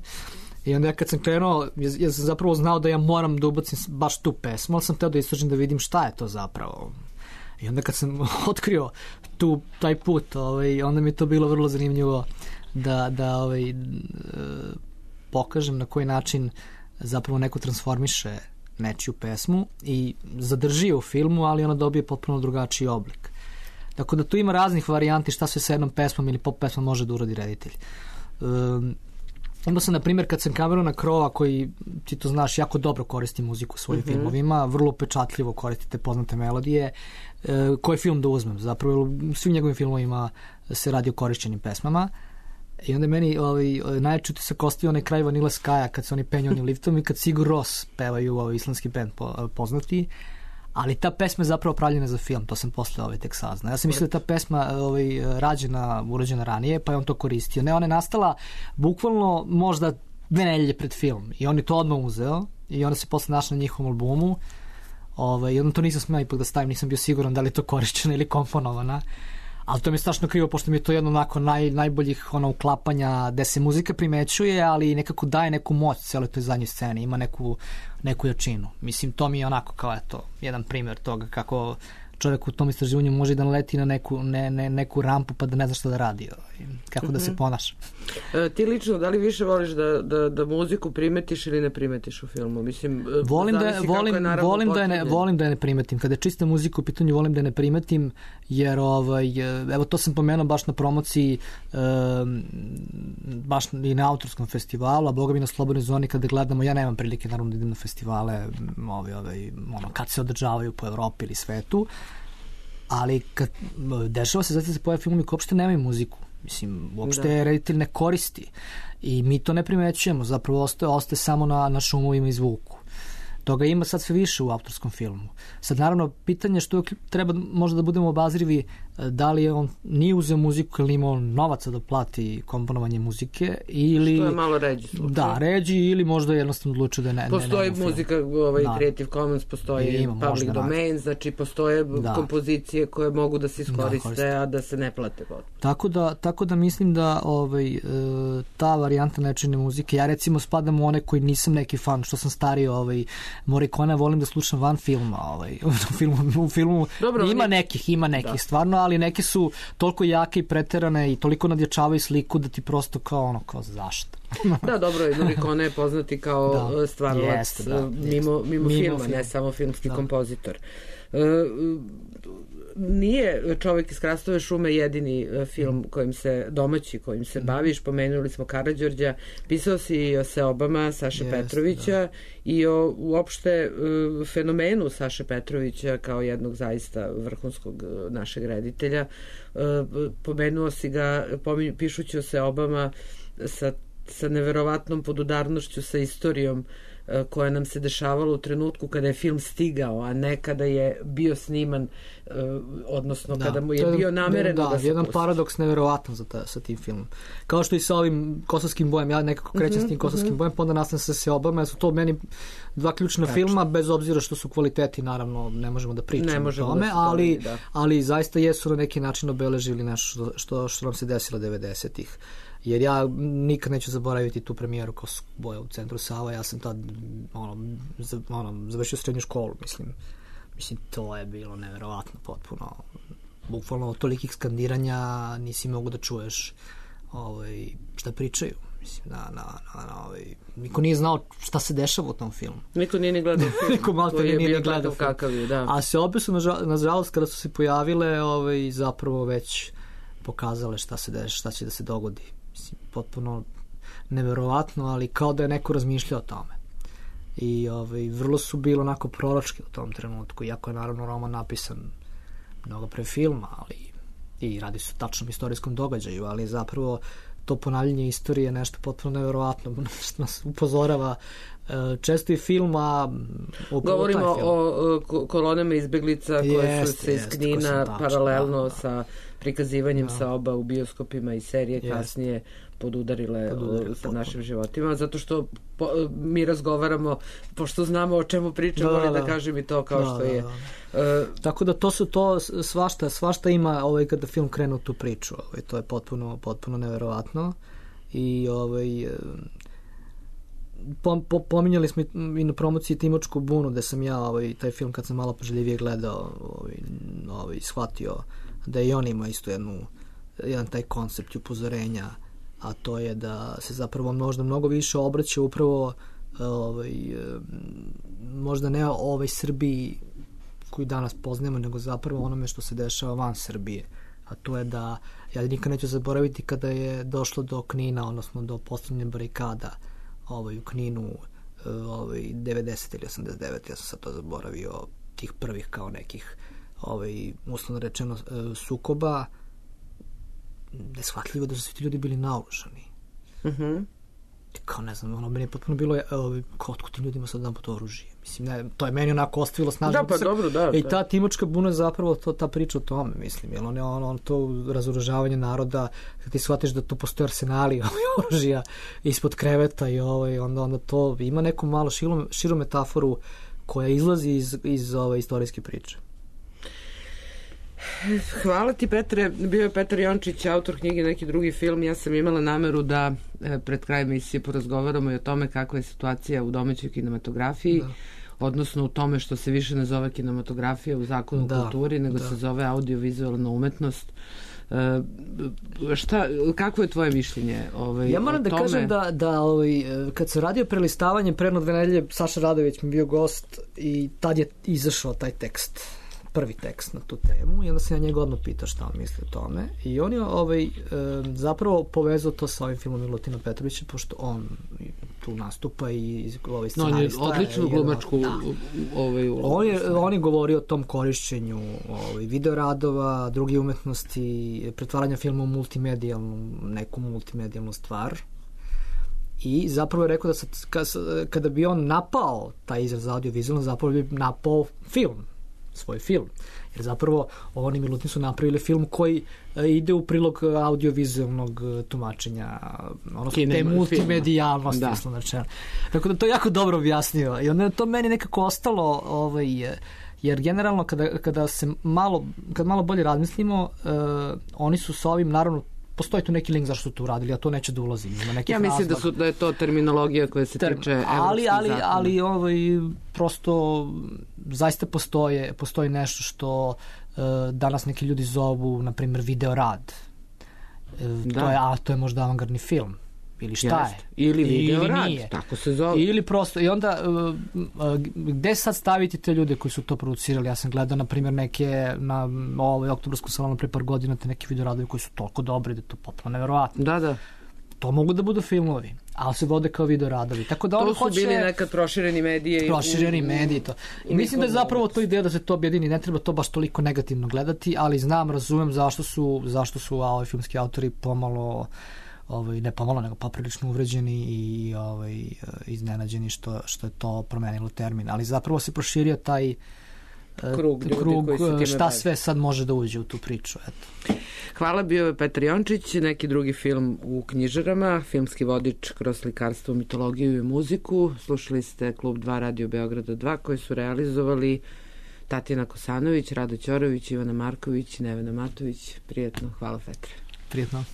I onda ja kad sam krenuo, ja, ja sam zapravo znao da ja moram da ubacim baš tu pesmu, ali sam teo da istražim da vidim šta je to zapravo. I onda kad sam otkrio tu, taj put, ovaj, onda mi je to bilo vrlo zanimljivo da, da ovaj, pokažem na koji način zapravo neko transformiše nečiju pesmu i zadrži u filmu, ali ona dobije potpuno drugačiji oblik. Tako da tu ima raznih varijanti šta se sa jednom pesmom ili pop pesmom može da uradi reditelj. Um, Imao sam, na primjer, kad sam Camerona Crowe, koji, ti to znaš, jako dobro koristi muziku u svojim mm-hmm. filmovima, vrlo upečatljivo koristite poznate melodije, e, koji film da uzmem? Zapravo, u svim njegovim filmovima se radi o korišćenim pesmama. I onda meni ovaj, najjači utisak ostavio onaj kraj Vanilla Sky-a kad se oni penju onim liftom i kad Sigur Rós pevaju ovaj islandski band po, poznati. Ali ta pesma je zapravo pravljena za film, to sam posle ovaj tek saznao. Ja sam mislio da ta pesma ovaj, rađena, urađena ranije, pa je on to koristio. Ne, ona je nastala bukvalno možda dve nedelje pred film i on je to odmah uzeo i onda se posle našla na njihovom albumu. Ovaj, i onda to nisam smeo ipak da stavim, nisam bio siguran da li je to korišćena ili komponovana. Ali to mi je strašno krivo, pošto mi je to jedno onako naj, najboljih ono, uklapanja gde se muzika primećuje, ali nekako daje neku moć celoj toj zadnjoj sceni, ima neku, neku jačinu. Mislim, to mi je onako kao eto, jedan primjer toga kako čovjek u tom istraživanju može da naleti na neku, ne, ne, neku rampu pa da ne zna šta da radi, kako mm-hmm. da se ponaša. E, ti lično, da li više voliš da, da, da muziku primetiš ili ne primetiš u filmu? Mislim, volim da, volim, je volim, da je ne, volim da je ne primetim. Kada je čista muzika u pitanju, volim da je ne primetim, jer ovaj, evo to sam pomenuo baš na promociji e, baš i na autorskom festivalu, a boga mi na Slobodnoj zoni kada gledamo, ja nemam prilike naravno da idem na festivale ovaj, ovaj, ono, kad se održavaju po Evropi ili svetu, ali kad dešava se, zato se pojave filmovi koji uopšte nemaju muziku. Mislim, uopšte da. Reditelj ne koristi i mi to ne primećujemo, zapravo ostaje, ostaje samo na, na šumovima i zvuku. Toga ima sad sve više u autorskom filmu. Sad naravno pitanje što treba možda da budemo obazrivi uh, da li je on nije uzeo muziku ili imao novaca da plati komponovanje muzike ili... Što je malo ređi slučaj. Da, ređi ili možda jednostavno odlučio da ne... Postoji ne, ne muzika, ovaj, da. Creative Commons, postoji ima, public domain, znači postoje da. kompozicije koje mogu da se iskoriste, da, a da se ne plate. Tako da, tako da mislim da ovaj, ta varijanta nečine muzike, ja recimo spadam u one koji nisam neki fan, što sam stariji ovaj, Morricone, volim da slušam van filma. Ovaj, u filmu, u filmu Dobro, ima oni... nekih, ima nekih da. stvarno, ali neke su toliko jake i preterane i toliko nadjačavaju sliku da ti prosto kao ono, kao zašto? Da, dobro, Morricone je poznati kao da. stvaralac da, mimo, mimo, mimo filma, film. ne samo filmski da. kompozitor. Uh, nije Čovjek iz Hrastove šume jedini film kojim se domaći, kojim se baviš. Pomenuli smo Karađorđa, pisao si i o Seobama Saše yes, Petrovića da. i o uopšte uh, fenomenu Saše Petrovića kao jednog zaista vrhunskog uh, našeg reditelja. Uh, pomenuo si ga, pominju, pišući o Seobama sa, sa neverovatnom podudarnošću, sa istorijom koja nam se dešavala u trenutku kada je film stigao, a ne kada je bio sniman, odnosno da, kada mu je bio namereno da, da se jedan pusti. Paradoks neverovatan za ta, sa tim filmom. Kao što i sa ovim Kosovskim bojem, ja nekako krećem mm-hmm, s tim Kosovskim mm-hmm. bojem, pa onda nastavim sa Seobama, su to meni dva ključna Prečno. filma, bez obzira što su kvaliteti, naravno, ne možemo da pričamo o tome, da ali, da. ali zaista jesu na neki način obeležili nešto što, što, što nam se desilo devedesetih. Jer ja nikad neću zaboraviti tu premijeru Kosovskog boja u centru Sava, ja sam tad ono, za, ono, završio srednju školu, mislim. Mislim, to je bilo neverovatno potpuno. Bukvalno tolikih skandiranja nisi mogu da čuješ ovaj, šta pričaju. Mislim, na, na, na, na, ovaj, niko nije znao šta se dešava u tom filmu. Niko nije ni gledao film. Niko malo nije ni gledao film. Kakav je, da. A se opet su, nažalost, kada su se pojavile, ovaj, zapravo već pokazale šta se deš, šta će da se dogodi. Mislim, potpuno neverovatno, ali kao da je neko razmišljao o tome. I ovaj, vrlo su bilo onako proročki u tom trenutku, iako je naravno roman napisan mnogo pre filma, ali i radi se o tačnom istorijskom događaju, ali zapravo to ponavljanje istorije je nešto potpuno neverovatno, što nas upozorava često i film, a govorimo o, o kolonama izbeglica koje jest, su se iz Knina paralelno da, sa prikazivanjem da. Seoba u bioskopima i serije jest. kasnije podudarile Podudarili, sa našim potpuno. životima, zato što po, mi razgovaramo, pošto znamo o čemu pričamo, da, da, da kažem i to kao da, što da, je. Da, da. Uh, Tako da to su to svašta, svašta ima ovaj, kada film krenu tu priču, ovaj, to je potpuno, potpuno neverovatno i ovaj Po, po, pominjali smo i na promociji Timočku bunu, gde sam ja ovaj, taj film kad sam malo pažljivije gledao ovaj, ovaj, shvatio da i on ima isto jednu, jedan taj koncept upozorenja, a to je da se zapravo možda mnogo više obraća upravo ovaj, možda ne ovoj Srbiji koju danas poznajemo, nego zapravo onome što se dešava van Srbije, a to je da ja nikad neću zaboraviti kada je došlo do Knina, odnosno do postavljanja barikada ovaj, u Kninu ovaj, devedeset ili osamdeset devet, ja sam sad to zaboravio, tih prvih kao nekih ovaj, uslovno rečeno sukoba, neshvatljivo da su svi ti ljudi bili naoružani. Mhm. Kao ne znam, ono meni je potpuno bilo ovaj, kao otkud tim ljudima sad dan po to oružje. Mislim, ne, to je meni onako ostavilo snažno. Da, pa dobro, da. I ta Timočka buna je zapravo to, ta priča o tome, mislim, jer on je on, on to razoružavanje naroda, kad ti shvatiš da tu postoje arsenali oružja ispod kreveta i ovaj, onda, onda to ima neku malo širu, širu metaforu koja izlazi iz, iz ove istorijske priče. Hvala ti, Petre. Bio je Petar Jončić, autor knjige Neki drugi film. Ja sam imala nameru da pred krajem emisije porazgovaramo i o tome kakva je situacija u domaćoj kinematografiji, da. odnosno u tome što se više ne zove kinematografija u zakonu da, kulturi, nego da. se zove audiovizualna umetnost. Uh, šta, kako je tvoje mišljenje ovaj, ja moram da tome? kažem da, da ovaj, kad se radio prelistavanje pre jedno dve nedelje, Saša Radović mi bio gost i tad je izašao taj tekst, prvi tekst na tu temu, i onda sam ja njega odmah pitao šta on misli o tome, i on je ovaj, zapravo povezao to sa ovim filmom Milutina Petrovića, pošto on tu nastupa i ovaj scenarista. No, on je odličnu glumačku da. ovaj, on, je, on je govorio o tom korišćenju ovaj, videoradova, drugi umetnosti, pretvaranja filma u multimedijalnu, neku multimedijalnu stvar. I zapravo je rekao da sad, kada bi on napao taj izraz audiovizualno, zapravo bi napao film svoj film. Jer zapravo oni i Milutin su napravili film koji ide u prilog audiovizualnog tumačenja, ono te multimedijalnosti. Da. Tako da to je jako dobro objasnio. I onda je to meni nekako ostalo, ovaj, jer generalno kada, kada se malo, kad malo bolje razmislimo, uh, oni su sa ovim, naravno, postoji tu neki link zašto su to uradili, a to neće da ulazi. Ja mislim da, su, da je to terminologija koja se Term, tiče evropskih ali, ali, zakona. Ali ovaj, prosto zaista postoje, postoji nešto što uh, danas neki ljudi zovu, na primjer, video rad. Uh, to je, a to je možda avangardni film. Ili šta Jest. je? Ili video rad, tako se zove. Ili prosto, i onda uh, uh, gde sad staviti te ljude koji su to producirali? Ja sam gledao, na primjer, neke na ovoj oktobarskom salonu pre par godina, te neki video radovi koji su toliko dobri da je to potpuno neverovatno. Da, da. To mogu da budu filmovi, ali se vode kao video radovi. Tako da to su hoće... bili nekad prošireni medije. Prošireni i... mediji to. I mislim da je zapravo to ideja da se to objedini. Ne treba to baš toliko negativno gledati, ali znam, razumem zašto su, zašto su ovi filmski autori pomalo... Ovaj, ne pomalo, nego poprilično uvređeni i ovaj, iznenađeni što, što je to promenilo termin. Ali zapravo se proširio taj krug, krug šta bavi. Sve sad može da uđe u tu priču. Eto. Hvala, bio je Petar Jončić, neki drugi film u knjižarama, filmski vodič kroz slikarstvo, mitologiju i muziku. Slušali ste Klub dva Radio Beograda dva koji su realizovali Tatjana Kosanović, Rado Ćorović, Ivana Marković, Nevena Matović. Prijetno, hvala Petre. Prijetno.